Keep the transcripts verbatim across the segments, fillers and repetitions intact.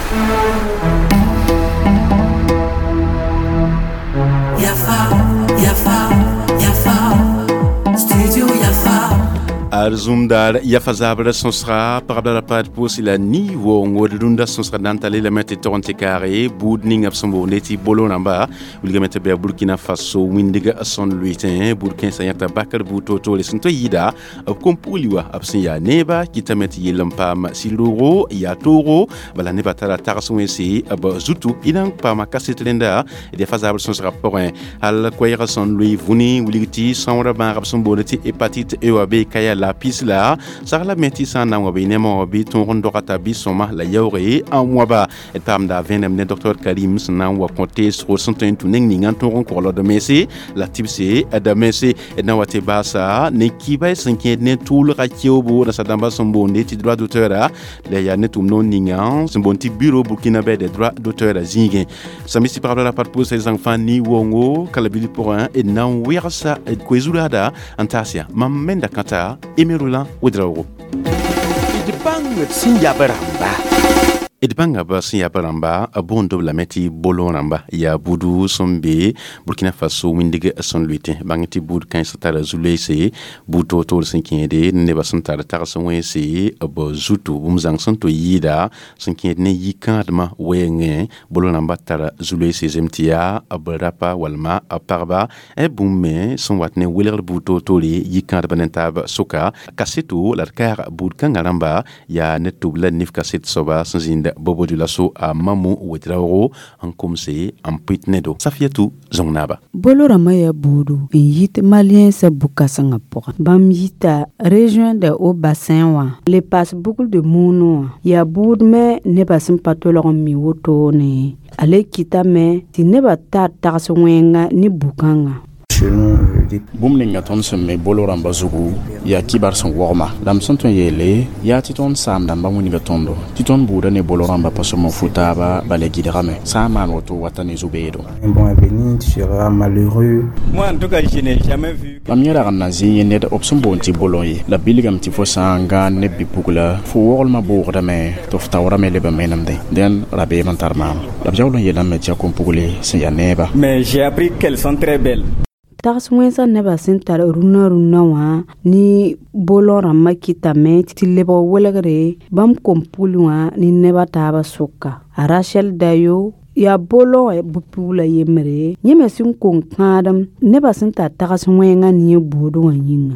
Yafa, Yafa, Yafa, Studio Yafa. Arzumdar yafa zabra sõsga pagb la paad pʋʋs la ni woongo d rũndã sõsga na n tale lame tɩ tog n tɩ kaage buud ninga b sẽn boonde tɩ bolo rãmba wilgame tɩ bɩ Burkina Faso wĩndg sẽn lʋɩtẽ buud kãensã yãta bakr buud toor-toore sẽn tõe yɩɩda b kom-pugli wa b sẽn yaa neeba kɩtame tɩ yell n paam sɩl-roogo yaa toogo bala nebã tara tags wẽnse b zutu y na n paama kaset rẽnda d yafa zabr sõsga pʋgẽ hal koɛɛgã sẽn loe vũni wilg tɩ sõorã bãag b sẽn boond tɩ hépatite E wa be ka yaa la pis la sagla me tɩ sã n na n wa bɩ nema wã bɩ tõog n dogata bɩ sõma la yaooge n wãba d paamda vẽenem ne docteur Karim sẽn na n wa kõ teesgo sẽn tõe n tũ neng ninga n tõog n kogld mense la tɩbse da mense d na wa tɩ baasa ne kiba sẽn kẽed ne tʋʋlga keoobo nasa-dãmbã sẽn boonde tɩ droit d'auteur la yaa ne tʋm noor ninga sẽn boond tɩ Bureau burkinabé des droits d'auteur zĩigẽ sãmb tɩ pagb la pat pʋʋsa zãng fãa ni wongo kala bil pʋgẽ d na n wegsa d koe-zuraada n taas yaa mam menda kãta Aimé Roland Ouedraogo. D bãng d sẽn yab rãmba. D bãnga b sẽn yab rãmba b boond b lame tɩ bolo rãmba yaa budu sẽn be Burkina Faso wĩndg sẽn lʋɩtẽ bãng tɩ buud kãensã tara zu-loeese buud toor-toor sẽn kẽede nebã sẽn tar tags wẽnse b zutu bũmb zãng sẽn to yɩɩda sẽn kẽed ne yikãadmã wɛɛngẽ bolo rãmba tara zu-loeese zem tɩ yaa b rapa walma b pagba bũmb me sẽn wat ne welgr buud toor-toore yikãadbã ne taab sʋka kaseto la d kaag buud kãngã rãmba yaa ne tʋb la nif kaset soaba sẽn zĩnd Bobo Dioulasso a Mamu Ouedraogo n komse n pʋɩt ne do Safiatou Zongnaba. Bolo rãmbã yaa buudu n yit maliensã bu-kãsengã pʋgã bãmb yita région de Haut Bassin wã le paas bugl de Mouno wã yaa buud me nebã sẽn pa tolg n mi wotone a le kɩtame tɩ nebã tar tags wẽnga ne bu-kãngã. Bũmb ninga tõnd sẽn me bolo rãmbã zugu yaa kibar sẽn wogma la m sẽn tõe n yeele yaa tɩ tõnd saam-dãmbã wilga tõndo tɩ tõnd buudã ne bolo rãmbã pa sõm n fu taaba bala gɩdgame sã n maan woto wata ne zu-beedo. Bon avenir, tu seras malheureux. Moi, en tout cas, je n'ai jamais vu. Mam yẽ rag n na zĩ yẽ ned b sẽn boond tɩ bolõ ye la bilgame tɩ fo sã n gãan ne bi-pugla fo woglmã boogdame tɩ f taoorame leb n menemdẽ dẽn rabeem n tar maam la b yaool n yeelame tɩ yaa kom-pugle sẽn yaa neeba. Mais j'ai appris qu'elles sont très belles. Tags wẽnsã nebã sẽn tar rũnã rũnã wã ne bolõ rãmbã kɩtame tɩ lebg welgre bãmb kom-pugl wã ne nebã taabã sʋka a Rachel Dayo yaa bolõ bʋ-pugla yembre yẽ me sẽn kong kãadem nebã sẽn tar tags wẽngã ne yẽ buud wã yĩnga.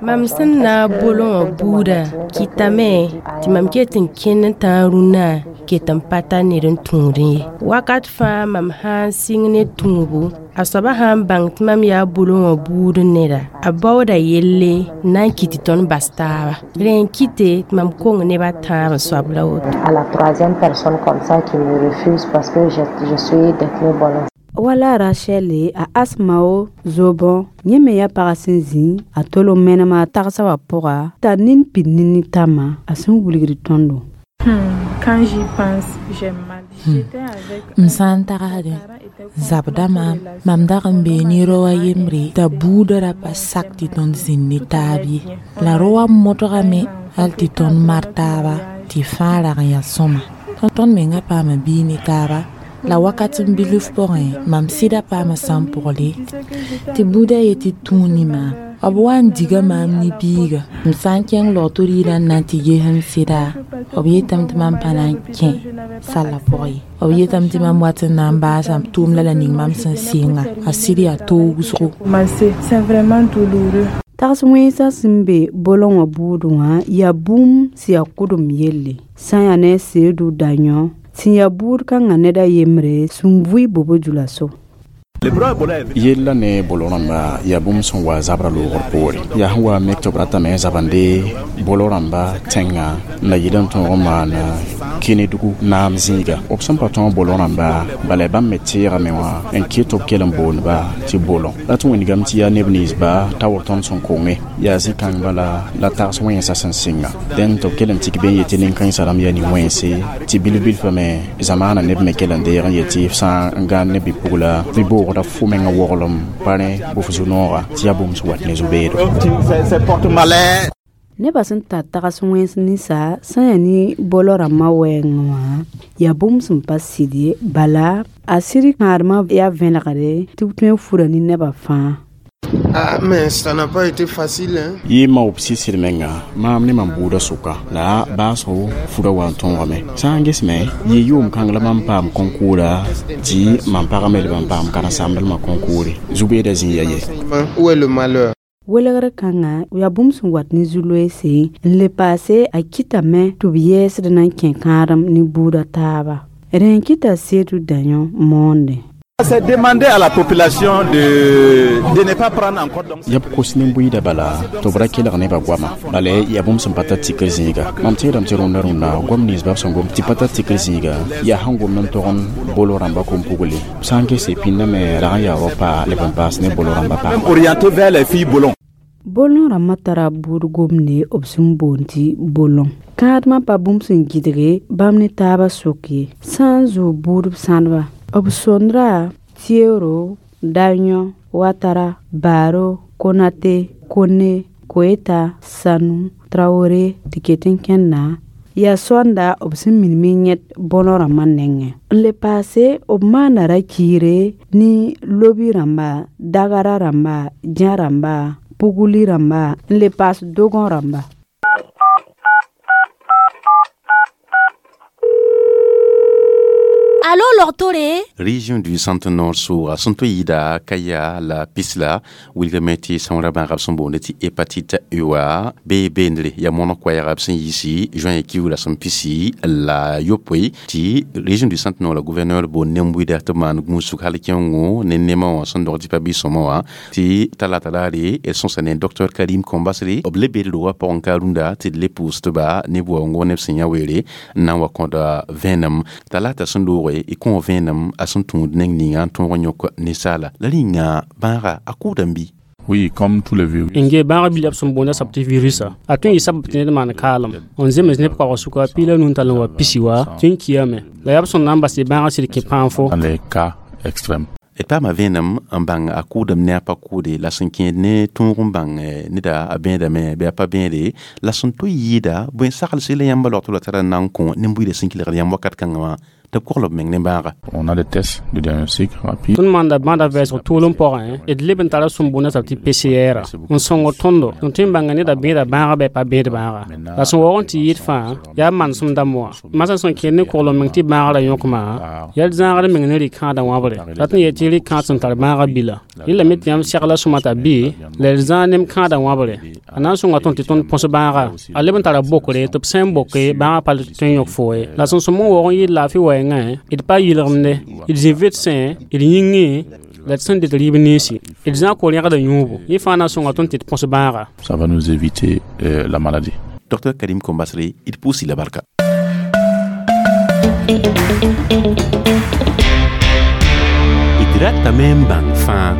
Mam sẽn na n bolõ wã buudã kɩtame tɩ mam ket n kẽnd n tãag rũnnã ket n pa tar ned n tũudẽ ye wakat fãa mam sã n sɩng ne tũubu a soabã sã n bãng tɩ mam yaa bolõ wã buud neda a baooda yelle n na n kɩt tɩ tõnd bas taaba rẽ n kɩte tɩ mam kong neb a tãab n soab la woto. À la troisième personne comme ça qui me refuse parce que je, je suis détenue bolon. Wala Rachel a Asmao Zobõ yẽ me yaa pag sẽn zĩ a tol n menem a tagsã wã pʋga t'a nin pid ne nitãmã a sẽn wilgd tõndo. Quand j'y pense, j'ai mal. J'étais avec M sã n tagsdẽ zabda maam mam dag n bee ne rao a yembre t'a buudã ra pa sak tɩ tõnd zĩnd ne taab ye la rao wã modgame hal tɩ tõnd mar taaba tɩ fãa rag n yaa sõma tõnd menga paama biig ne taaba la wakat n bilf pʋgẽ mam sɩda paama sã n pʋgle tɩ buudã yetɩ tũu ne maam b wa n diga maam ne biiga m sã n kẽng log tɩ rɩɩdã n na n tɩ ges m sɩda b yetame tɩ mam pa na n kẽ sallã pʋgẽ ye b yetame tɩ mam wat n na n baasa tʋʋmda la ning mam sẽn sɩnga a sɩd yaa toog wʋsgo. C'est vraiment douloureux. Tags wẽnsã sẽn be bolõ wã buudẽ wã yaa bũmb sẽn yaa kʋdem yelle sã n yaa ne Seedu Dayõ sẽn yaa buud kãngã ned a yembre sẽn vʋɩ Bobo Dioulasso. Yella ne bolo rãmba yaa bũmb sẽn wa zabrã loogr poore yaa sẽn wa mek tɩ b ratame n zabende bolo rãmba tẽngã n la yɩl n tõog n maan Kenedugu naam zĩiga b sẽn pa tõog bolo rãmba bala bãmb me teegame wã n ket tɩ b kell n boondba tɩ bolõ la tɩ wĩndgame tɩ yaa neb ninsba taoor tõnd sẽn konge yaa zĩ-kãng bala la tags wẽnsã sẽn sɩnga dẽn tɩ b kell n tik be n yetɩ nin-kãensã rãmb yaa nin-wẽnse tɩ bilf-bilfã me zamaanã neb me kell n deeg n yetɩ f sã n gãan ne bi-pugla bɩ boogda fo menga woglem pa rẽ bʋf zu-nooga tɩ yaa bũmb sẽn wat ne zu-beedo. Nebã sẽn tar tags wẽns ninsa sẽn yaa ne bolõ rãmbã wɛɛngẽ wã yaa bũmb sẽn pa sɩd ye bala a sɩd kãadmã yaa vẽnegre tɩ b tõe n fura ne nebã fãa. Ah, mais ça n'a pas été facile, hein? Yɩ ma b sɩsd menga maam ne mam buudã sʋka la baasgo fura wa n tõogame sã n gesme yɩ yʋʋm kãng la mam paam kõnkuura tɩ mam pagã me leb n paam karen-samdlmã kõnkuure zu-beedã zĩ ya ye. Où est le malheur? Welgr kãnga yaa bũmb sẽn wat ne zu-loeese n le paase a kɩtame tɩ b yɛɛsd na n kẽ kãadem ne buudã taaba rẽ n kɩta Seedu Dayõ moonde. C'est demander à la population de, de ne pas prendre encore donc yaa b kos nin-buiidã bala tɩ b ra kelg nebã goama bala yaa bũmb sẽn pa tar tikr zĩiga mam tẽedame tɩ rũndã rũnna goam nins b sẽn gom tɩ pa tar tikr zĩiga yaa sẽn gomd n tog n bolo rãmbã kom-pugli b sã n gese pĩndame rag n yaa rao-pa leb n paas ne bolo rãmbã même orienté vers les filles bolons. Bolõ rãmbã tara buud gomde b sẽn boond tɩ bolõ kãadmã pa bũmb sẽn gɩdge bãmb ne taabã sok ye sã n zoog buudb sãdba b sõndra Tiero, Daño, Ouattara, Baro, Konate, Kone, Koeta, Sanu, Traoré tɩ ket n kẽnda yaa sõanda b sẽn minim n yẽd bõno rãmbã nengẽ n le paase b maanda ra-kiire ne lobi rãmba dagara rãmba dã rãmba pugli rãmba n le paas dogõ rãmba. Allô, Lortore? Région du Centre-Nord soa sẽn tõe yɩɩda Kaya la Pisla wilgame tɩ sõngra bãagb sẽn boonde tɩ hépatite E wa bee beendre yaa mõneg koɛɛga b sẽn yiisi juin kiuug la sẽn pisi la yopoe tɩ région du Centre-Nord la gouverneur boond nen-buida tɩ b maan gũusg hal kẽngo ne nemã wã sẽn dog tɩ pa bɩ-sõma wã tɩ talata daare d sõsa ne docteur Karim Kombasre b le bed rogã pʋgẽ ka rũndã tɩ d le pʋʋs tɩ ba ne buaoongo neb sẽn yã weere n na n wa kõda vẽenem talata sẽn looge y kõ vẽenem a sẽn tũud neng ninga n tõog n yõk ninsaala la rĩnga bãaga a kʋʋda n bɩ. Oui, comme tous les virus. Nge bãag bil b sẽn boonda sab tɩ virusa a tõe n yɩ sabab tɩ ned maan kaalem n zems neb kaoog sʋka piig la nu n tall n wa pisi wa tɩ n kiame la yaa b sẽn na n bas tɩ bãagã sɩd kẽ pãan fo. Dans les cas extrêmes. D paama vẽenem n bãng a kʋʋdame ne a pa kʋʋde la sẽn kẽed ne tõog n bãng neda a bẽedame bɩ a pa bẽede la sẽn tõe yɩɩda bõe saglse la yãmba logtr la tara n na n kõ nin-buiidã sẽn kelgd yãmb wakat kãngã wã tɩ b kogl b meng ne bãaga. On a des tests de diagnostic rapide. Tõnd maanda bãada vɛɛsg tʋʋlem pʋgẽ d leb n tara sẽn boonda sab tɩ P C R n sõngd tõndo tɩ tõe n bãnga neda bẽeda bãaga bɩ a pa bẽed bãaga la sẽn waoog n tɩ yɩɩd fãa yaa manesem dãmb wã masã sẽn kẽed ne koglem meng tɩ bãagrã yõkma yaa d zãagd meng ne rɩ-kãadã wãbre rat n yet tɩ rɩ-kãad sẽn tar bãagã bila rẽlame tɩ yãmb segla sõma t'a bɩ la d zãag nem kãadã wãbre a na n sõnga tõnd tɩ tõnd põs bãaga a leb n tara bokre tɩ b sã n boke bãagã pa tõe n yõk fo ye la sẽn sõm n waoog n yɩɩd laafɩ wɛɛngã d pa yɩlgemde d zĩ vɩdsẽ d yĩngẽ la d sẽn dɩt rɩɩb ninsi d zãag ko-rẽgda yũubu yẽ fãa na n sõnga tõnd tɩ d põs bãaga. Ça va nous éviter euh, la maladie. Docteur Karim Kombasre, d pʋʋsi la barka. D ratame n bãng fãa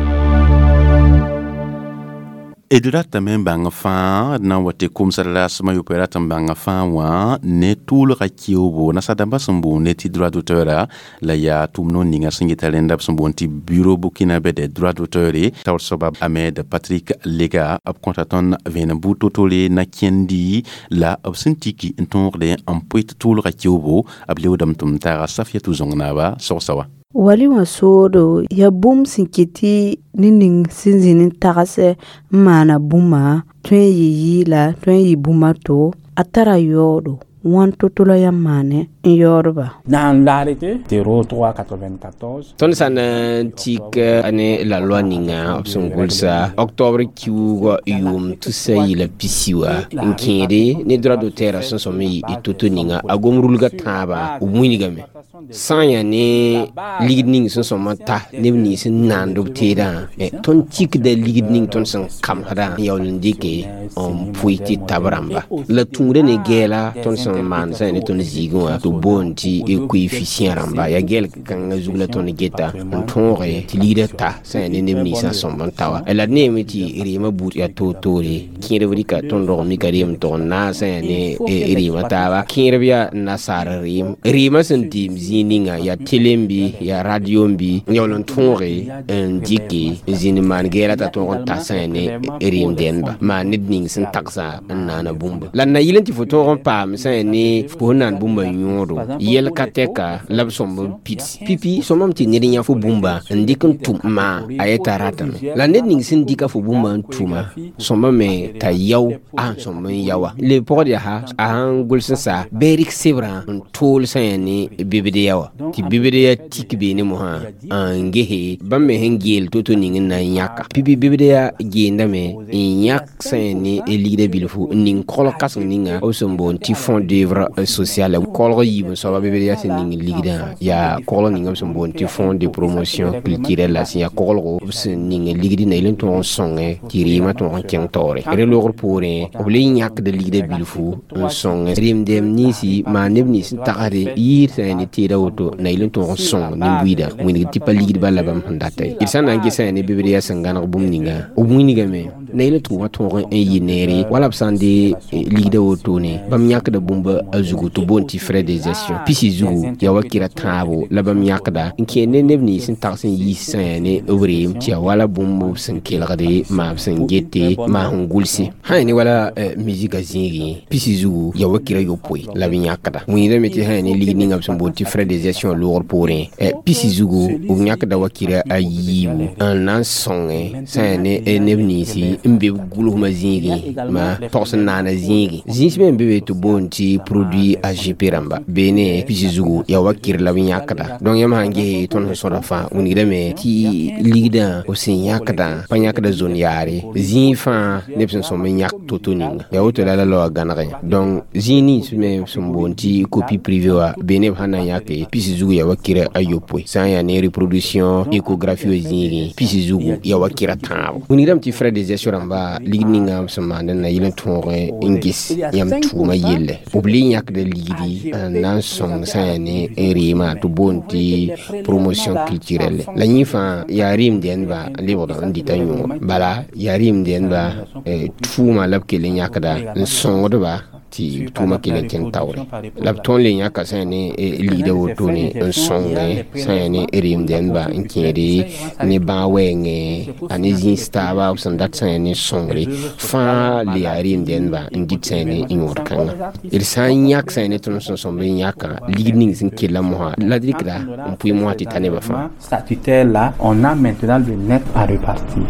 d ratame n bãng fãa d na n wa tɩ komsd rasmã yopoe rat n bãnga fãa wã ne tʋʋlga keoobo nasadãmbã sẽn boonde tɩ droit d'auteur la yaa tʋʋm no ninga sẽn yeta rẽnda b sẽn boond tɩ bureau burkinabé des droits d'auteur taoor soaba Ahmed Patrick Lega b kõta tõnd vẽenem buud to-tore na kẽndi la b sẽn tiki n tõogde n poe tɩ tʋʋlga keoobo b leoodame tɩ m taaga Safiatou Zõng-naaba sogsa wa. Wali wã soodo yaa bũmb sẽn kɩt tɩ ned ning sẽn zĩ n tagsɛ n maana bũmba tõe n yɩ yɩɩla tõe n yɩ bũmb a to a tara yaoodo wãn to-to la yãmb maane n yaoodba. Dans l'arrêté zéro trois quatre-vingt-quatorze Tõnd sã n tik ne la loi ninga b sẽn gʋlsa octobre kiuugã yʋʋm tusa yɩla pisi wa n kẽede ne droit d'auteur sẽn sõm n yɩ to-to ninga a gom rulga tãabã b wilgame sã n yaa ne ligd ning sẽn sõm n ta neb nins n naand b teedã tõnd tikda ligd ning tõnd sẽn kamsdã n yaool n dɩke n pʋɩ tɩ tab rãmba la tũuda ne gɛɛla tõnd sẽn tõnd maan sã yaa ne tõnd zĩigẽ wã tɩ b boond tɩ coefficient rãmba yaa gɛlg kãngã zug la tõnd geta n tõoge tɩ ligdã ta sã yaa ne neb ninsã sõmb n ta wa la d neeme tɩ reemã buud yaa toor-toore kẽerb rɩka tõnd rog mika reem tʋg n naas sã yaa ne reemã taaba kẽerb yaa nasaar reem reemã sẽn deem zĩig ninga yaa télé n bɩ yaa radio n bɩ n yaool n tõoge n dɩke n zĩnd n maan gɛɛla t'a tõog n ta sã yaa ne reem dẽndba maan ned ning sẽn tagsa n naana bũmba la n na yɩl n tɩ fo tõog n paam sã yaa ne fo sẽn naan bũmba yõodo yɛl ka tɛka la b sõmb n pids pipi sõmame tɩ ned yã fo bũmba n dɩk n tʋm maa a yeta ratame la ned ning sẽn dɩka fo bũmba n tʋma sõmba me t'a yao a sẽn sõmb n yao wa le pʋgd yaa a sãn gʋls n sa bɩ rɩk sebrã n tool sã yaa ne bibdeya wa tɩ bibdeya tik beene mosã n gese bãmb me sẽn geel to-to ning n na n yãka pipi bibdeya geendame n yãk sã yaa ne ligdã bilfu n ning kolg kãseng ninga b sẽn boond tɩ fonds d'œuvre sociale kolg yiib n soaba bibdeya sẽn ning ligdã yaa koglg ninga b sẽn boond tɩ fonds de promotion culturelle la sẽn yaa koglgo b sẽn ning ligd na yel n tõog n sõnge tɩ reemã tõog n kẽng taoore re logr poorẽ b le yãkda ligdã bilfu n sõng reem-dɛm ninsi maan neb nins n tagsde yɩɩd sã yaa ne teeda woto na yel n tõog n sõng nin-buiidã wĩndg tɩ pa ligdbã la bãmb sẽn data ye d sã n na n ges sã yaa ne bibd yaa sẽn gãneg bũmb ninga b wĩnigame na yel n tʋʋmã tõog n yɩ neere wala b sã n de ligdã wotone bãmb yãkda bũmba a zugu tɩ boond tɩ frais de gestion pisi zugu yaa wa kɩra tãabo la bãmb yãkda n kẽer ne neb nins n tags n yiis sã yaa ne b reem tɩ yaa wala bũmb b sẽn kelgde maa b sẽn gete maa sẽn gʋlse sã yaa ne wala musika zĩigẽ pisi zugu yaa wa kɩra yopoe la b yãkda wĩndame tɩ sã yaa ne ligd ninga b sẽn boond tɩ frais de gestion loogr poorẽ pisi zugu b yãkda wa kɩra a yiibu n na n sõnge sã yaa ne neb ninsi n be b gʋlsmã zĩigẽ ma togs n naana zĩigẽ zĩis me n be be tɩ boond tɩ produit A G P rãmba beene pisi zugu yaa wa kɩr la b yãkda donc yãmb sãn ges tõnd sẽn sõda fãa wingdame tɩ ligdã b sẽn yãkdã pa yãkda zone yaare zĩig fãa neb sẽn sõm n yãk to-to ninga yaa woto la la laoa gãnegẽ donc zĩig nins me sẽn boond tɩ copie privée wa beene b sãn na n yãke pisi zugu yaa wa kɩra a yopoe sã n yaa ne reproduction échographie wa zĩigẽ pisi zugu yaa wa kɩra tãabo wingdame tɩ frais de gestion rãmba ligd ninga b sẽn maand n na yɩl n tõog n ges yãmb tʋʋmã yelle b le yãkda ligdi n na n sõng sã yaa ne reemã tɩ boond tɩ promotion culturelle la yẽ fãa yaa reem dẽndba n lebgd n dɩta yõor bala yaa reem dẽndba tʋʋma la b kell n yãkda n sõngdba tɩ tʋʋmã kell n kẽng taoore la b tõnd le yãka sã yaa ne ligdã wotone n sõngẽ sã yaa ne reem dẽndba n kẽede ne bãag wɛɛngẽ a ne zĩis taaba b sẽn dat sã yaa ne sõngre fãa le yaa reem dẽndba n dɩt sã yaa ne yõod kãnga d sã n yãk sã yaa ne tõnd sẽn sõmb n yãkã ligd ning sẽn kella mosã la d rɩkda n pʋɩ mosã tɩ ta nebã fãa. Statutaire là, on a maintenant le net à repartir.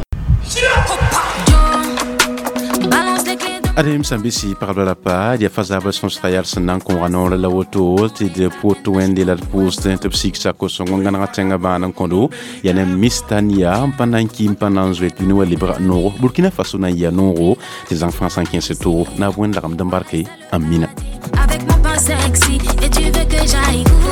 Adem sẽn bɩ pagb la pa yaa fa zabr sõsga yaa sẽn na n kõoga noor la woto tɩ d pʋt wẽnde la d pʋʋsd tɩ b sik sako-sõng n gãnega tẽngã bãan n kõdo yaa ne mistania n pa na n ki n pa na n zoet bɩ ne wa lebga noogo Burkina Faso na n yɩa noogo tɩ zãng fãa sã n kẽes toogo na b wẽnd lagmd n barke n mina. Avec mon pain sexy et tu veux que j'aille où?